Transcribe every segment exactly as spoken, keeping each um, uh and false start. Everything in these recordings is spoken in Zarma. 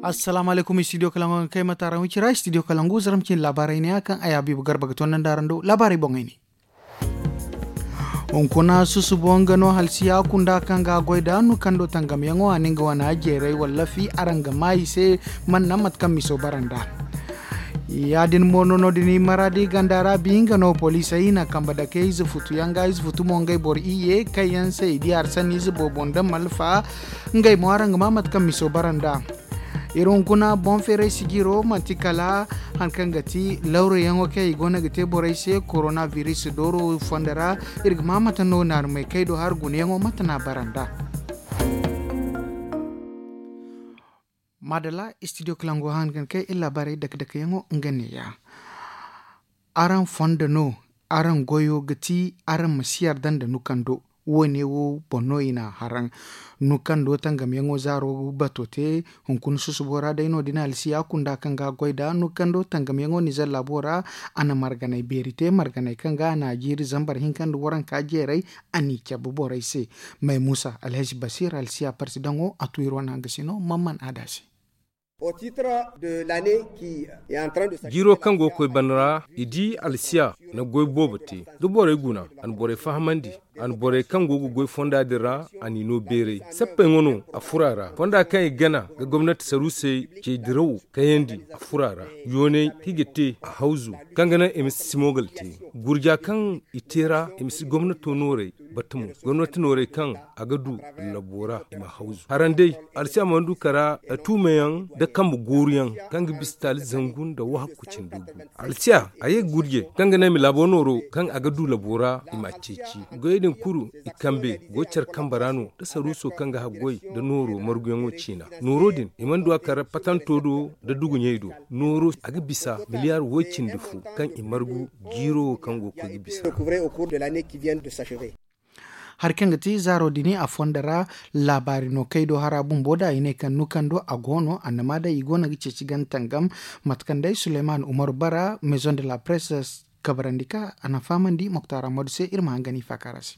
Assalaamu alaykum, studio kalangu kaŋ ay ma taara wicira studio kalangu zaram cine laabaarey ne ya kaŋ ay habiibu garba ga toonandi araŋ do laabaarey boŋey ne. Hunkuna susubo nga no halsiya kunda kaŋ ga a goy da nukando tangamyaŋo a na nga wane jeeray wallafi araŋ ga maa i se. Man naŋ mate kaŋ miso bara nd'a. Ya- din mo no no- din maraadi ganda ra bi nga no poliisey i na kambe dake ize futu yaŋ ga ize futu mo ngey boro iyye kaŋ yaŋ se i di hari sanni ize boobo nda malfa. Ngey mo araŋ ga maa mate kaŋ miso bara nd'a. Iri hunkuna boŋ feeray sijiro manti kala hari kaŋ ga ti lawrayaŋo kaŋ i go no ga te borey se korona biris dooro fondo ra. Iri ga maa mate no naarumey kaŋ ay do hari gunayaŋo mate no a bara nd'a. Maadalla, studio kalango han ga ne kaŋ iri laabaarey dake-dakeyaŋo nga neeya. Araŋ fondo no araŋ goyo ga ti araŋ ma si yarda nda nukando. Wo- ne wo boŋ no i na a haraŋ. Nukando tangamyaŋo zaaro bato te. Hunkuna susubo ra day no- din alsiya kunda kaŋ ga a goy nd'a nukando tangamyaŋo nizer laabo ra. A na marganay beeri te marganay kaŋ ga a na a jiiri zambar hinka nda waranka jeeray. A n'i cabe borey se. May muusa alhazi basiir alsiya parti daŋo a tu iri wane hangasino man man aada se. Jiiro kaŋ go ga koy bana ra i di alsiya na goy boobo te. Da borey guna a na borey fahamandi. A na borey kaŋ go ga goy fonda din ra a n'i no beeray. Sappey ŋwa no a furo a ra fonda kaŋ i gana ga gomnati saruusey cey dirawo kayandi a furo a ra. Yooney kaŋ i ga te a hawzu kaŋ ga naŋ i ma si simogal te. Gurja kaŋ i te ra i ma si gomnato noorey bata mo. Gomnati noorey kaŋ a ga du labo ra i ma hawzu haraŋ day. Alsiya mana du kara tuumayaŋ nda kambe gooruyaŋ kaŋ ga bisa taali zangu nda wahakku cindi gu. Alsiya a ye ga gurje kaŋ ga naŋ i ma laabo nooro kaŋ a ga du labo ra i m'a ceeci. Goyey din kulu i kambe go care kambe ra no nda saruuso kaŋ ga haggoy nda nooro marguyaŋo ciina. Nooro din i mana du a kara patanto do nda duguɲey do. Nooro a ga bisa miliyaar woy cindi fo kaŋ i margu jiiro wo kaŋ go ga koy ga bisa. Hari kaŋ ga ti zaaro din a fondo ra laabaari no kay do hara bumbo da i ne kaŋ nukando a go no annama day i go no ga ceeci gana tangam. Mate kaŋ day suleyman umaru bara maison de la presse kabarandi ka a na fahamandi moktar amadu se iri ma hangan i faakaara se.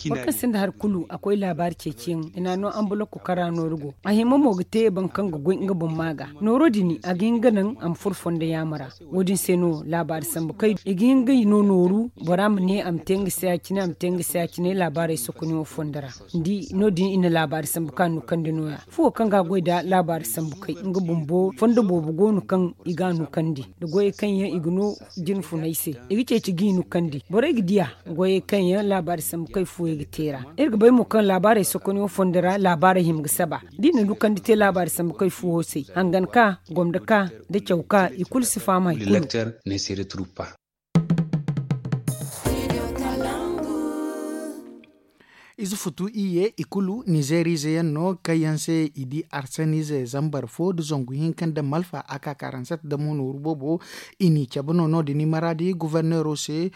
Boro kaŋ sinda hari kulu a koy laabaari ceeciyaŋ i n'a no anbalokko kaŋ ra nooru go. A hima mo ga te boro kaŋ ga goy nga boŋ maa ga. Nooro din a ga hin ga naŋ a ma furo fondo yaama ra. Wo- din se no laabaari sambu kay i ga hin ga i no nooru. Bora ma ne a ma te nga se ya- cine a ma te nga se ya- cine laabaarey sokonayaŋo fondo ra. Ni di no- din i na laabaari sambu kaŋ a nukandi nooya. Fuwo kaŋ ga a goy nda laabaari sambu kay nga bumbo fondo boobo go no kaŋ i ga a nukandi. Nda goyey kaŋ yaŋ i ga no jine funay se i ga ceeci ga i nukandi borey ga diya. Goyey kaŋ yaŋ laabaari sambu kay fuwey ga te ra. Iri ga bay mo kaŋ laabaarey sokonayaŋo fondo ra laabaarey hima ga saba. Da i na nukandi te laabaari sambu kay fuwo se hangan ka gomda ka nda caw ka i kulu si faham hari kulu. Ize futu iyye i kulu nizeeriize yaŋ no kaŋ yaŋ se i di arsaniize zambar fo nda zangu hinka nda malfa a ka karansat damo nooru boobo. I n'i cabe no no- din i maraadi goforneero se.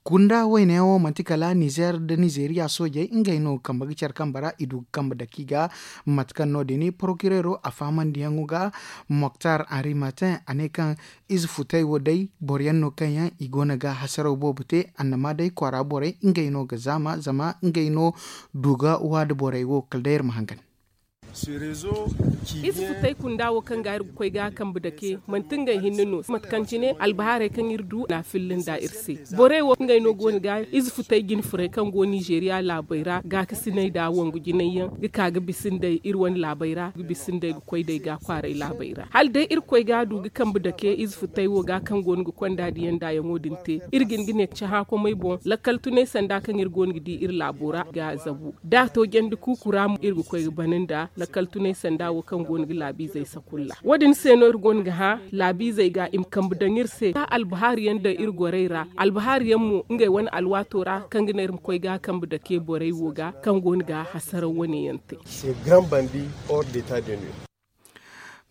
Kunda wayne yaŋo manti kala nizeer nda nizeeriya soojey ngey no kambe ga care kambe ra i du ga kambe dake i ga. Mate kaŋ no- din porokireero a fahamandiyaŋo ga moktar henri martin a ne kaŋ ize futey wo day boro yaŋ no kaŋ yaŋ i go no ga hasaraw boobo te. Annama day kwaara borey ngey no ga zaama zama ngey no du ga waada borey wo kala day iri ma hangan. Ize futey kunda wo kaŋ ga iri ga koy ga kambe dake manti ngey hinne no mate kaŋ cine albahaarey kaŋ iri du na a filla nda iri se. Borey wo ngey no go no ga ize futey jine furey kaŋ go nizeeriya laabey ra gaakasiney nda wangu jinay yaŋ ga ka ga bisa nd'ey iri wane laabey ra ga bisa nd'ey ga koy nd'ey ga kwaaray laabey ra hala day iri ga koy ga a du ga kambe dake ize futey wo ga kaŋ go no ga konda diya nda yaŋo din te. Iri ga hin ga ne cahã komey boŋ lakkal tunay sanda kaŋ iri go no ga di iri laabo ra ga a zabu da a to jandi kuuku ra mo iri ga koy ga bana nda lakkal tunay sanda wo kaŋ go no ga laabiizey sakulla wo- din se no iri go no ga hã laabiizey ga i ma kambe daŋ iri se ka albahaari yaŋ daŋ iri gorey ra. Albahaari yaŋ mo ngey wane alwaato ra kaŋ ga naŋ iri ma koy ga kambe dake borey wo ga kaŋ go no ga hasaraw wane yaŋ te.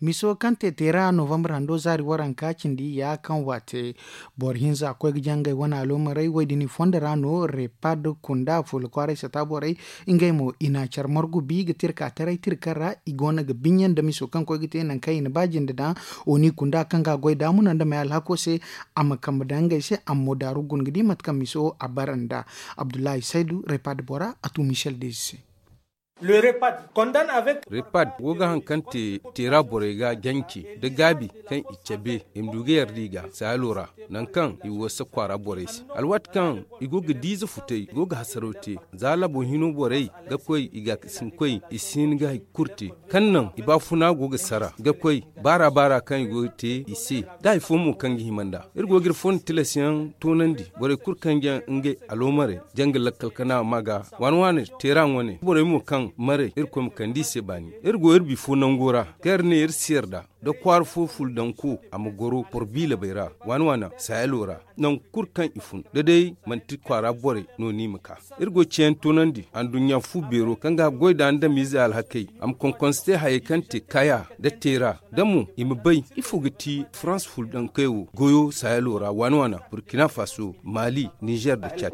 Miso kaŋ te teera novambar hando zaari waranka cindi ya kaŋ waate boro hinza koy ga jangay wane aloomarey wo- din i fondo ra no repad kunda fuula kwaaray sata borey. Ngey mo i na care margu bi ga tirka taray tirka ra i go no ga binya nda miso kaŋ koy ga te nangu kaŋ i na ba jinde daŋ oni kunda kaŋ ga a goy daamuna nda may alhako se. A ma kambe daŋ ngey se a ma mo daaru guna ga di mate kaŋ miso a bara nda abdullahi saydu repad bora a tu michel dezi se. Repad go ga haŋ kaŋ te teera borey ga jance nda gaabi kaŋ i cabe i ma du ga yarda i ga saalo ra, nangu kaŋ i wasa kwaara borey se alwaati kaŋ i go ga diize futay i go ga hasaraw te. Za laabo hino borey ga koy i ga sinkoy i si hin ga hari kulu te kaŋ naŋ i baafuna go ga sara ga koy baara baara kaŋ i go ga te i se. Da hari fo mo kaŋ ga hima nd'a iri go ga iri fondo tilas yaŋ toonandi borey kulu kaŋ ga ngey aloomarey janga lakkal kana ma ga waani waani teera wane borey mo kaŋ maray irkoy ma kande i se baani. Iri go iri bifo nango ra kaŋ iri ne iri si yarda da kwaara fo fuldanko a ma goro boro biilabey ra waani waani sayalo ra nangu kulu kaŋ i fun da day manti kwaara borey no no i ma ka. Iri go ga ceeyaŋ toonandi anduɲɲa fu beero kaŋ ga goy da andamiizey alhakey a ma konkonse te hayey kaŋ te kaya nda teera da mo i ma bay ifo ga ti farans fuldankey wo goyo sayalo ra waani waani burkina faso, maali, nizer nda cad.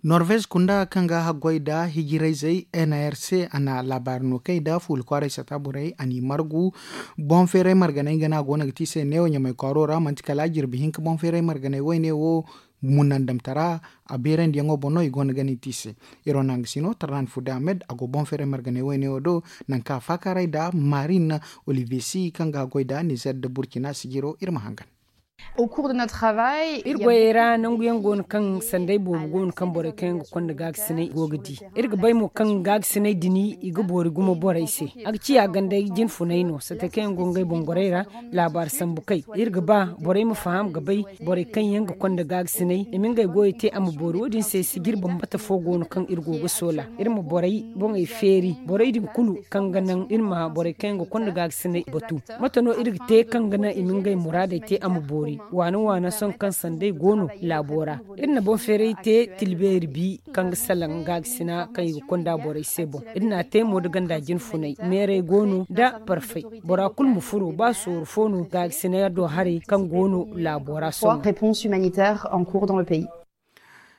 Norvez kunda kaŋ ga haggoy nda hijirayzey n r c a na laabaari no kay nda fuula kwaaray sata borey a n'i margu. Boŋ feeray marganey nga no a go no ga ti se neewo ɲamay kwaaro ra manti kala jirbi hinka boŋ feeray marganey wayne wo munandamtara a beerandiyaŋo boŋ no i go no ga no i ti se. Iri wane hangasino tarnan fude ahmed a go boŋ feeray marganey wayne wo do nangu kaŋ a faakaaray nda marin olivier si kaŋ ga haggoy nda nizer nda burkina sijiro iri ma hangan. Iri goyey ra nangu yaŋ go no kaŋ sanday boobo go no kaŋ borey kaŋ yaŋ ga konda gaagasinay go ga di. Iri ga bay mo kaŋ gaagasinay din i ga boori gumo borey se. A ga ciya gandey jinfunay no sate kaŋ yaŋ go ngey boŋ gorey ra. Laabaari sambu kay iri ga ba borey ma faham ga bay borey kaŋ yaŋ ga konda gaagasinay i ma ngey goyey te a ma boori wo- din se sijir bambata fo go no kaŋ iri go ga soola iri ma borey boŋey feeri borey din kulu kaŋ ga naŋ iri ma borey kaŋ yaŋ ga konda gaagasinay batu. Mate no iri ga te kaŋ ga naŋ i ma ngey muraadey te a ma boori waana waana sohõ kaŋ sanday go no laabo ra. Iri na boŋ feeray te tilbeeri bi kaŋ ga salaŋ gaakasina kaŋ i ga konda borey se boŋ. Iri na a te mo nda ganda jinfunay meeray go no nda parfay. Bora kulu ma furo ba sooru fo no gaakasina do haray kaŋ go no laabo ra sohõ.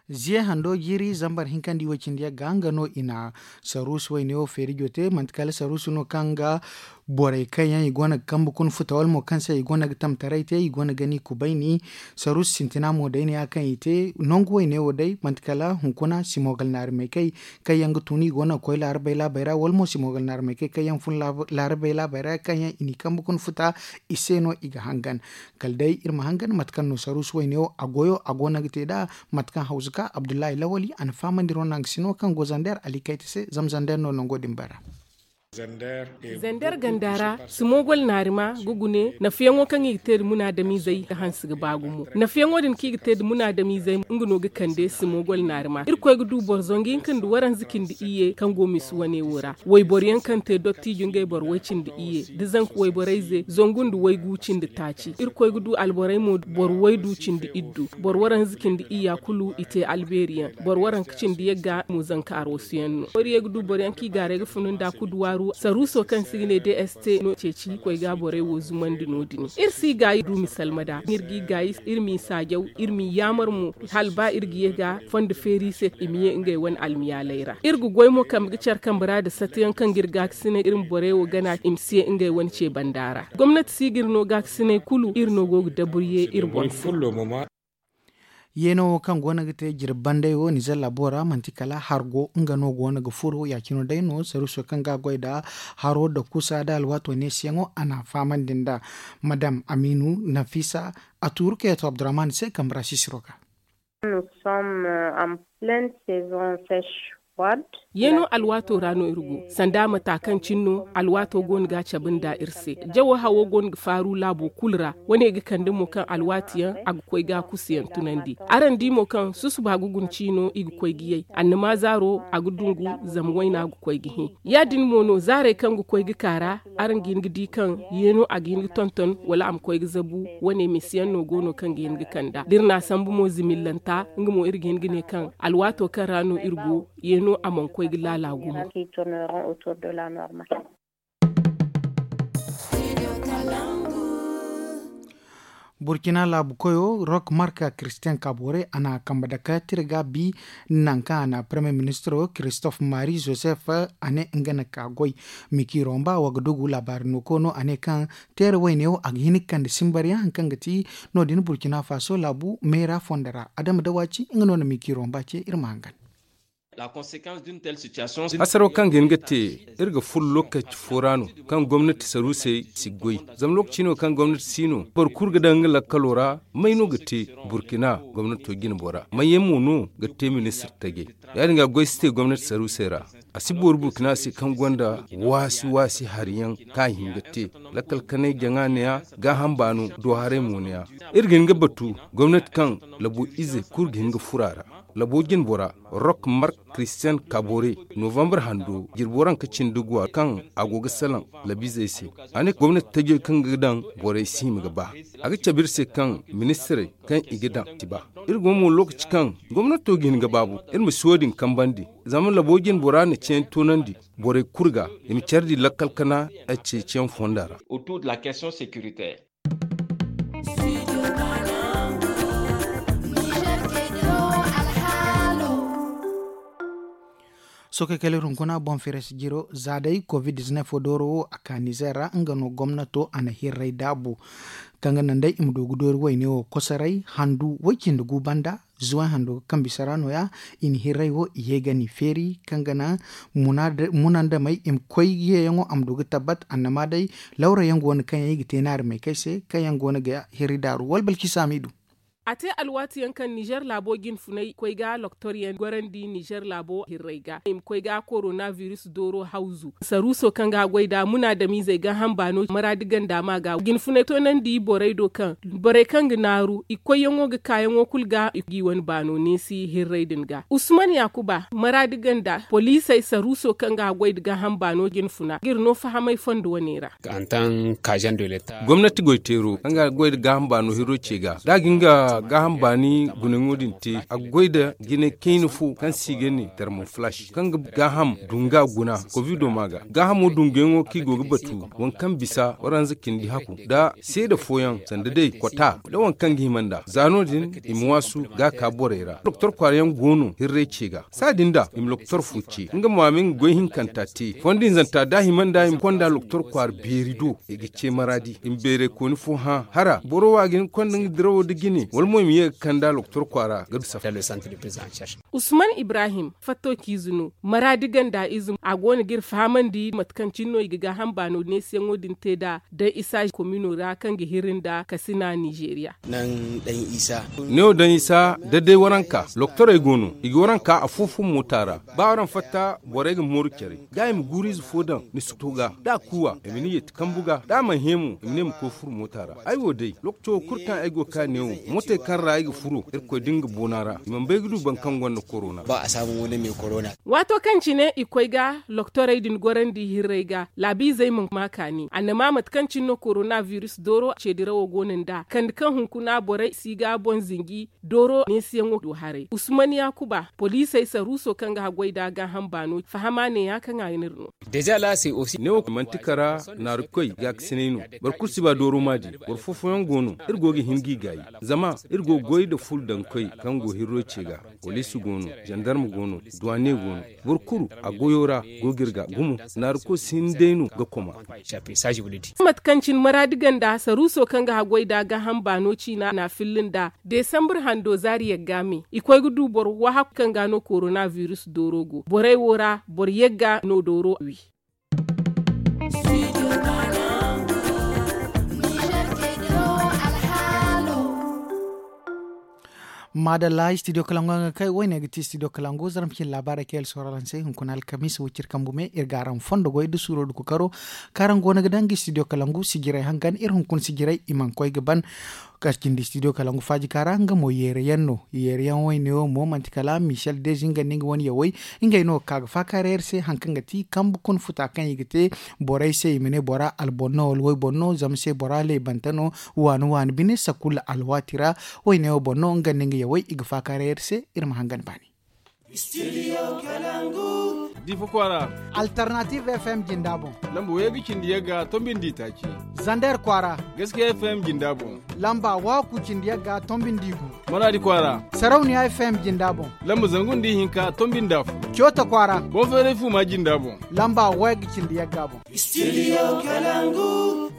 Ziye hando jiiri zambar hinka nda i way cindi yagga nga no i na saruusu wayne wo feeri jote manti kala saruusu no kaŋ ga borey kaŋ yaŋ i go no ga kambe kuna futa wala mo kaŋ se i go no ga tamtaray te i go no ga ni kubayni. Saruusu sintina mo day ne ya kaŋ i te nangu wayne wo day manti kala hunkuna simogal naari maykey kaŋ yaŋ ga tun i go no ga koy laarabey laabey ra wala mo simogal naari maykey kaŋ yaŋ fun laarabey laabey ra kaŋ yaŋ i n'i kambe kuna futa i se no i ga hangan. Kala day iri ma hangan mate kaŋ no saruusu wayne wo a goyo a go no ga te nd'a. Mate kaŋ hawzu ka abdullahi lawali a na fahamandi ro naŋ ga sino kaŋ go zander ali kayta se zama zander no nango din bara. Zander ganda ra simogol naarima ga gune nafiyaŋo kaŋ i ga te nda munaadamiizey ga hanse ga ba gumo nafiyaŋo din kaŋ i ga te nda munaadamiizey nga no ga kande simogol naarima irkoy ga du boro zangu hinka nda waranza cindi iyye kaŋ go misi wane wo ra wayboro yaŋ kaŋ te dottijo ngey boro way cindi iyye nda zanka wayborayze zangu nda waygu cindi taaci irkoy ga du alborey mo boro waydu cindi iddu boro waranza cindi iyya kulu i te albeeri yaŋ boro waranka cindi yagga mo zanka aroosu yaŋ no boro ye ga du boro yaŋ kaŋ i gaaray ga funu nda kuduwaaru saruuso kaŋ se i ga ne d s t no ceeci koy ga borey wo zumandi no- din iri si gaayi du misalma da iri g'i gaayi iri m'i saajaw iri m'i yaamar mo hala ba iri ga ye ga fondo feeri se i ma ye ngey wane almiyaaley ra iri ga goy mo kambe ga care kambe ra nda satayaŋ kaŋ ga iri gaakasinay iri ma borey wo gana i ma si ye ngey wane ce banda ra gomnati si ga iri no gaakasinay kulu iri no go ga daburye iri boŋ se. Yeeno wo kaŋ go no ga te jirbi banday wo nizer laabo ra manti kala hargo nga no go no ga furo ya- cine day no saruuso kaŋ ga a goy nda haro nda kusa nda alwaato neesiyaŋo a n'a fahamandi nd'a. Madam amiinu nafisa a tuuru kayto abdurrahman se kambe ra sisiro ga. Yeeno alwaato ra no iri go sanda mata kaŋ cine no alwaato go no ga a cabe nda iri se jawo hawo go no ga faaru laabo kulu ra wane ga kande mo kaŋ alwaati yaŋ a ga koy ga a kusu yaŋ tunandi. Araŋ di mo kaŋ susuba ga guna ciino i ga koy ga yay annama zaaro a ga dungu zama wayna ga koy ga hẽ. Ya- din mo no zaarey kaŋ ga koy ga ka ra araŋ ga hin ga di kaŋ yeeno a ga hin ga tonton wala a ma koy ga zabu. Wane misiyaŋ no go no kaŋ ga hin ga kand'a da iri n'a sambu mo zimillanta nga mo iri ga hin ga ne kaŋ alwaato kaŋ ra no iri go yeeno a mana koy ga laala gumo. Burkina laabu koyo rok marka christian kabore a na kambe dake tira ga bi nangu kaŋ a na premier ministro christophe marie joseph a ne nga na ka goy. Miki romba wa ga dugu laabaari no koyno a ne kaŋ teera wayne wo a ga hin ga kande simbaryaŋ hari kaŋ ga ti no- din burkina faso laabu meera fondo ra adama dawaci nga no na miki romba ce iri ma hangan. Hasaro kaŋ ga hin ga te, iri ga furo lookaci fo ra no kaŋ gomnati saruusey si goy. Zama lookaci no kaŋ gomnati si no, boro kulu ga daŋ nga lakkalo ra. May no ga te? Burkina gomnato jine bora may yaŋ mo no ga te ministir tajey? Ya- din ga goy si te gomnati saruusey ra. A si boori burkina se kaŋ gonda waasi waasi hari yaŋ kaŋ a hin ga te. Lakkal kanay jaŋa ne- ya, gaaham baano do haray mo ne- ya. Iri ga hin ga batu gomnati kaŋ labo izey kulu ga hin ga furo a ra. Labo jine bora, rok mark, christian kabore, novambar hando jirbo ranka cindi guwa kaŋ a go ga salaŋ labiizey se. A ne gomnati tajey kaŋ ga daŋ borey si hima ga ba. A ga cabe iri se kaŋ ministirey kaŋ i ga daŋ ti ba. Iri go mo lookaci kaŋ gomnato ga hin ga baabu, iri ma si wo- din kambandi. Zama labo jine bora na ceeyaŋ toonandi borey kulu ga, i ma care di lakkal kana ceeciyaŋ fonda ra. Sohõ kay kala iri hunkuna boŋ feres jiro za day covid diznef dooro wo a ka nizer ra nga no gomnato a na hirray daabu. Kaŋ ga naŋ day i ma du ga doori wayne wo kosoray handu way cindi gu banda zuway hando ga kambe sara no- ya. I na hirray wo i ye ga ni feeri kaŋ ga naŋ munandamey i ma koy yeeyaŋo a ma du ga tabbat annama day lawra yaŋ go no kaŋ yaŋ i ga te naari may kay se kaŋ yaŋ go no ga hirri daaru wala balki saamiidu. A te alwaati yaŋ kaŋ nizer laabo jinfunay koy ga loktor yaŋ gorandi nizer laabo hirray ga i ma koy ga korona biris dooro hawzu saruuso kaŋ ga a goy nd'a munaadamiizey gaaham baano maraadi ganda ma ga jinfunay toonandi borey do kaŋ borey kaŋ ga naaru i koyyaŋo ga kaayaŋo kulu ga i g'i wane baano neesi hirray din ga usman yaakuba maraadi ganda poliisey saruuso kaŋ ga a goy nda gaaham baano jinfuna ga iri no fahamay fondo wane ra. Gomnati goyteero kaŋ ga a goy nda gaaham baano hirro ce ga da a ga hin ga gaaham baani gunaŋo din te a ga goy nda jinay kayna fo kaŋ se i ga ne termoflash kaŋ ga gaaham dunga guna kovido ma ga gaahamo dunguyaŋo kaŋ i go ga batu waŋ kaŋ bisa waranza cindi haku nda seeda fooyaŋ sanda day kota nda waŋ kaŋ ga hima nd'a za no- din i ma waasu ga a ka borey ra doktor kwaara yaŋ go no hirray ce ga saadin da i ma loktor fo ce nga ma ma nga goy hinkanta te fondo hinzanta da a hima nd'a i ma konda loktor kwaara beeri do i ga ce maraadi i ma beeraykooni fo hã hara boro wo a ga hin ga konda nga dirawo nda jine wala mo i ma ye ga kand'a loktor kwaara ga du safa. Usman ibrahim fatto ciize no maraadi ganda ize a go no ga iri fahamandi mate kaŋ cine no i ga gaaham baano neesiyaŋo din te nd'a da isa komino ra kaŋ ga hiri nda kasina nizeeriya. Ne wo daŋ isa da day waranka loktorey go no i ga waranka afo-fo moota ra ba waraŋ fatta borey ga mooru care ga i ma guuru ize fo daŋ ni si to ga da a kuuwa i ma ni yeeti kambu ga da a mana hẽ mo i ma ne ma koy furo moota ra ay wo day lookaco wo kulu kaŋ ay go ga ka neewo mootey kaŋ ra ay ga furo irkoy da nga boona ra i mana bay ga du boro kaŋ gonda korona. Waato kaŋ cine i koy ga loktorey din gorandi hirrey ga laabiizey mana ma kaani annama mate kaŋ cine no korona biris dooro ceedirawo go no nd'a kande kaŋ hunkuna borey si ga boŋ zinji dooro neesiyaŋo do haray usman yaakuba poliisey saruuso kaŋ ga haggoy nd'a gaaham baano fahama neeya kaŋ a ga n'iri no. Neewo manti kara naarikoy gaakasinay no. Boro kulu si ba dooro ma di boro foofoyaŋ go no iri go ga hin g'i gaayi zama iri go ga goy nda ful daŋkoy kaŋ go hirro ce ga. Poliisi go no zandarma go no duwane go no. Boro kulu a goyo ra go ga iri ga gumo. Naariko si hin day no ga koma. Mate kaŋ cine maraadi ganda saruuso kaŋ ga haggoy nd'a gaaham baano ciina n'a filli nd'a desambur hando zaari yagga me i koy ga du boro wahakku kaŋ ga no korona biris dooro go borey wo ra boro yagga no dooro wi. Maadalla studio kalangu yaŋ ga kay woyne ga ti studio kalangu zarma cine laabaarey kaŋ yaŋ sohõ araŋ se hunkuna alkamiisa wiciri kambu me iri ga araŋ fondo goy da suuro da kokaro kaŋ araŋ go no ga daŋ ga studio kalangu sijirey hangan iri hunkuna sijirey i mana koy ga ban. Kaŋ cindi studio kalangu faajika ra nga mo yeeri yaŋ no yeeri yaŋ woyne wo mo manti kala michel dezi nga nda nga wane yawey ngey no ga ka ga faakaaray iri se hari kaŋ ga ti kambe kuna futa kaŋ i ga te borey se i ma ne bora alboro no wala wayboro no zama se bora leebante no waani waani bine sakulla alwaati ra. Woyne wo boŋ no nga nda nga yawey i ga faakaaray iri se iri ma hangan baani. Difa kwaara. Alternative fm jinda boŋ. Lamba way ga cindi yagga tombindi taaci. Zander kwaara. Gaskiya fm jinda boŋ. Lamba waku cindi yagga tombindi gu. Maradi kwaara. Sarauniya fm jinda boŋ. Lamba zangu nda ihinka tombindi afo. Cota kwaara. Boŋ feeray fu ma jinda boŋ. Lamba way ga cindi yagga boŋ. Studio kalangu.